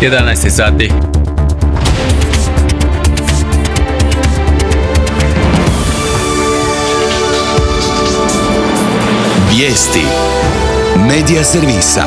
11 sati. Vijesti Medija servisa.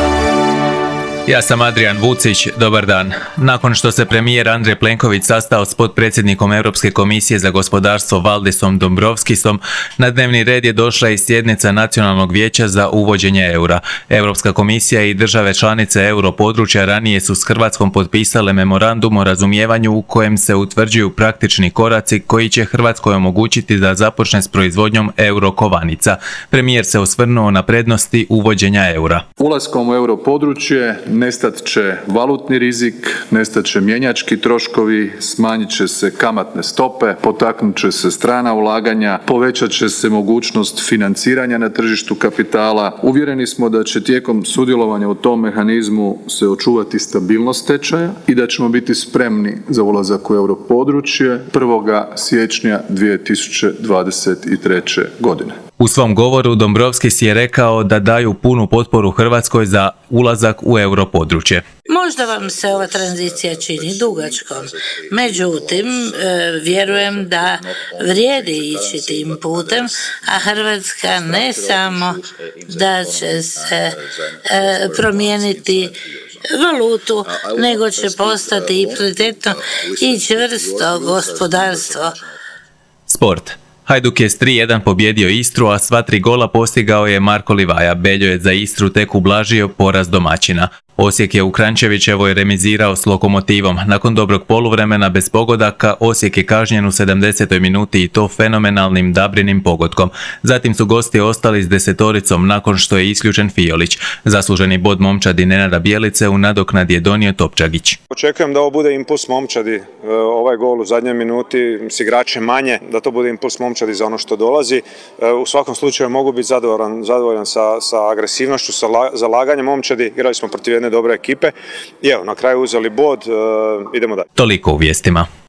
Ja sam Adrian Vucić, dobar dan. Nakon što se premijer Andrej Plenković sastao s potpredsjednikom Europske komisije za gospodarstvo Valdisom Dombrovskisom, na dnevni red je došla i sjednica Nacionalnog vijeća za uvođenje eura. Europska komisija i države članice europodručja ranije su s Hrvatskom potpisale memorandum o razumijevanju u kojem se utvrđuju praktični koraci koji će Hrvatskoj omogućiti da započne s proizvodnjom eurokovanica. Premijer se osvrnuo na prednosti uvođenja eura. Ulaskom u europodručje nestat će valutni rizik, nestat će mjenjački troškovi, smanjit će se kamatne stope, potaknut će se strana ulaganja, povećat će se mogućnost financiranja na tržištu kapitala. Uvjereni smo da će tijekom sudjelovanja u tom mehanizmu se očuvati stabilnost tečaja i da ćemo biti spremni za ulazak u europodručje 1. siječnja 2023. godine. U svom govoru Dombrovskis je rekao da daju punu potporu Hrvatskoj za ulazak u europodručje. Možda vam se ova tranzicija čini dugačkom, međutim, vjerujem da vrijedi ići tim putem, a Hrvatska ne samo da će se promijeniti valutu, nego će postati i prioritetno i čvrsto gospodarstvo. Sport. Hajduk je s 3-1 pobjedio Istru, a sva 3 gola postigao je Marko Livaja. Beljo je za Istru tek ublažio poraz domaćina. Osijek je u Kranjčevićevoj remizirao s Lokomotivom. Nakon dobrog poluvremena bez pogodaka, Osijek je kažnjen u 70. minuti i to fenomenalnim Dabrinim pogodkom. Zatim su gosti ostali s 10-oricom nakon što je isključen Fiolić. Zasluženi bod momčadi Nenada Bjelice u nadoknadi je donio Topčagić. Očekujem da ovo bude impuls momčadi, ovaj gol u zadnjoj minuti s igračem manje, da to bude impuls momčadi za ono što dolazi. U svakom slučaju mogu biti zadovoljan sa agresivnošću, sa zalaganjem momčadi. Igrali smo protiv jedne dobre ekipe i evo, na kraju uzeli bod, idemo dalje. Toliko u vijestima.